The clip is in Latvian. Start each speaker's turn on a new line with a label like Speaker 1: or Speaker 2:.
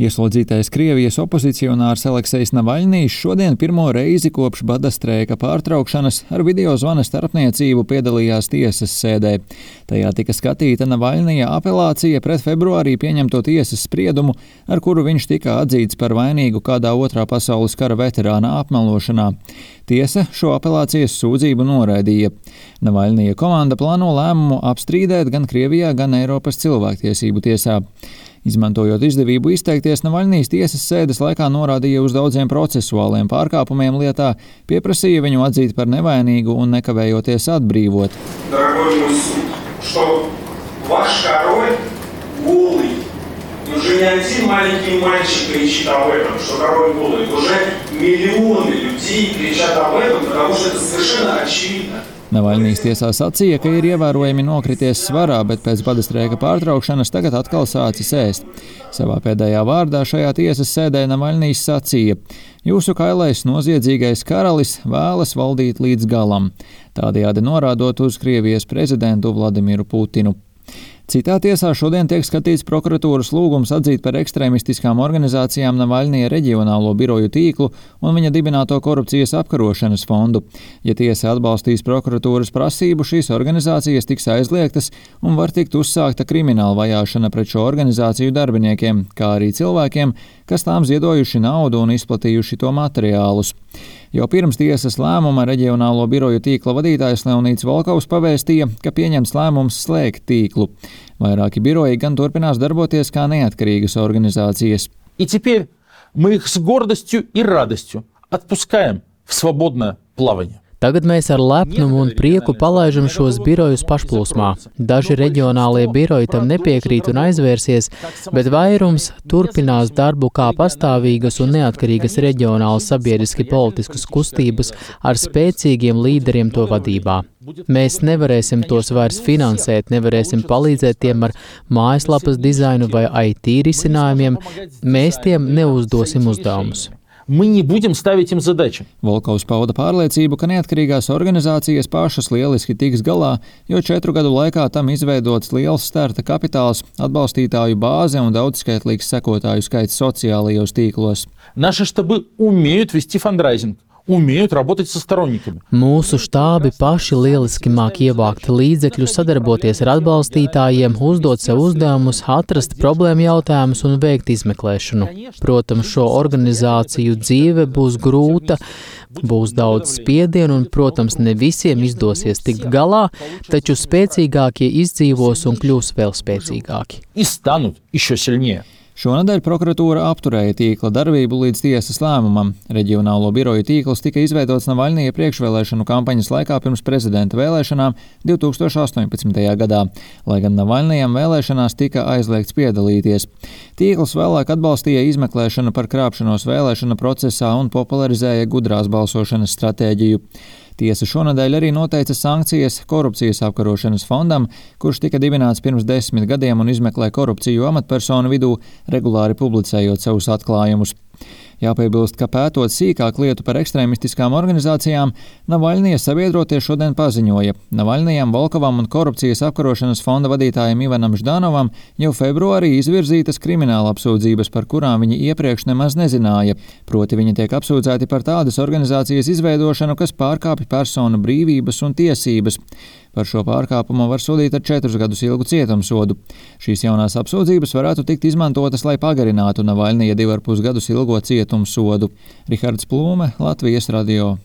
Speaker 1: Ieslodzītais Krievijas opozicionārs Aleksejs Navaļnijs šodien pirmo reizi kopš bada streika pārtraukšanas ar videozvana starpniecību piedalījās tiesas sēdē. Tajā tika skatīta Navaļnija apelācija pret februārī pieņemto tiesas spriedumu, ar kuru viņš tika atzīts par vainīgu kādā otrā pasaules kara veterāna apmelošanā. Tiesa šo apelācijas sūdzību noraidīja. Navaļnija komanda plāno lēmumu apstrīdēt gan Krievijā, gan Eiropas cilvēktiesību tiesā. Izmantojot izdevību izteikties, Navaļnijs tiesas sēdes laikā norādīja uz daudziem procesuāliem pārkāpumiem lietā, pieprasīja viņu atzīt par nevainīgu un nekavējoties atbrīvot.
Speaker 2: Dārgoj mūs sūd, što vaš король голый. Уже не один маленький мальчик кричит об этом, что король голый. Уже миллионы людей кричат об этом, потому что это совершенно очевидно.
Speaker 1: Navaļnijs tiesā sacīja, ka ir ievērojami nokrities svarā, bet pēc bada streika pārtraukšanas tagad atkal sācis ēst. Savā pēdējā vārdā šajā tiesas sēdē Navaļnijs sacīja: "Jūsu kailais noziedzīgais karalis vēlas valdīt līdz galam", tādējādi norādot uz Krievijas prezidentu Vladimiru Putinu. Citā tiesā šodien tiek skatīts prokuratūras lūgums atzīt par ekstrēmistiskām organizācijām Navaļnija reģionālo biroju tīklu un viņa dibināto korupcijas apkarošanas fondu. Ja tiesa atbalstīs prokuratūras prasību, šīs organizācijas tiks aizliegtas un var tikt uzsākta krimināla vajāšana pret šo organizāciju darbiniekiem, kā arī cilvēkiem, kas tām ziedojuši naudu un izplatījuši to materiālus. Jau pirms tiesas lēmuma reģionālo biroju tīkla vadītājs Leonīds Volkovs pavēstīja, ka pieņemts lēmums slēgt tīklu. Vairāki biroji gan turpinās darboties kā neatkarīgas organizācijas.
Speaker 3: И теперь мы их с гордостью и радостью отпускаем в свободное плавание.
Speaker 4: Tagad mēs ar lepnumu un prieku palaižam šos birojus pašplūsmā. Daži reģionālie biroji tam nepiekrīt un aizvērsies, bet vairums turpinās darbu kā pastāvīgas un neatkarīgas reģionālas sabiedriski politiskas kustības ar spēcīgiem līderiem to vadībā. Mēs nevarēsim tos vairs finansēt, nevarēsim palīdzēt tiem ar mājaslapas dizainu vai IT risinājumiem, mēs tiem neuzdosim uzdevumus.
Speaker 3: Мы не будем ставить им задачи.
Speaker 1: Volkovs pauda pārliecību, ka neatkarīgās organizācijas pašas lieliski tiks galā, jo 4 gadu laikā tam izveidots liels starta kapitāls, atbalstītāju bāze un daudzskaitlīgs sekotāju skaits sociālajos tīklos.
Speaker 3: Наши штабы умеют вести фандрайзинг, умеют работать со сторонниками.
Speaker 4: Mūsu štābi paši lieliski māk ievākt līdzekļus, sadarboties ar atbalstītājiem, uzdot sev uzdevumus, atrast problēmu jautājumus un veikt izmeklēšanu. Protams, šo organizāciju dzīve būs grūta, būs daudz spiedienu un, protams, ne visiem izdosies tikt galā, taču spēcīgākie izdzīvos un kļūs vēl spēcīgāki.
Speaker 3: И станут еще сильнее.
Speaker 1: Šonadēļ prokuratūra apturēja tīkla darbību līdz tiesas lēmumam. Reģionālo biroju tīkls tika izveidots Navaļnija priekšvēlēšanu kampaņas laikā pirms prezidenta vēlēšanām 2018. gadā, lai gan Navaļnijam vēlēšanās tika aizliegts piedalīties. Tīkls vēlāk atbalstīja izmeklēšanu par krāpšanos vēlēšana procesā un popularizēja gudrās balsošanas stratēģiju. Tiesa šonadēļ arī noteica sankcijas korupcijas apkarošanas fondam, kurš tika dibināts pirms 10 gadiem un izmeklē korupciju amatpersonu vidū, regulāri publicējot savus atklājumus. Jāpiebilst, ka pētot sīkāk lietu par ekstrēmistiskām organizācijām, Navaļnija sabiedrotie šodien paziņoja: Navaļnijam, Volkovam un korupcijas apkarošanas fonda vadītājiem Ivanam Ždanovam jau februārī izvirzītas krimināla apsūdzības, par kurām viņi iepriekš nemaz nezināja. Proti viņi tiek apsūdzēti par tādas organizācijas izveidošanu, kas pārkāpj personu brīvības un tiesības. Par šo pārkāpumu var sodīt ar 4 gadus ilgu cietumsodu. Šīs jaunās apsūdzības varētu tikt izmantotas, lai pagarinātu Navaļnija 2,5 gadus ilgo cietumsodu. Rihards Plūme, Latvijas radio.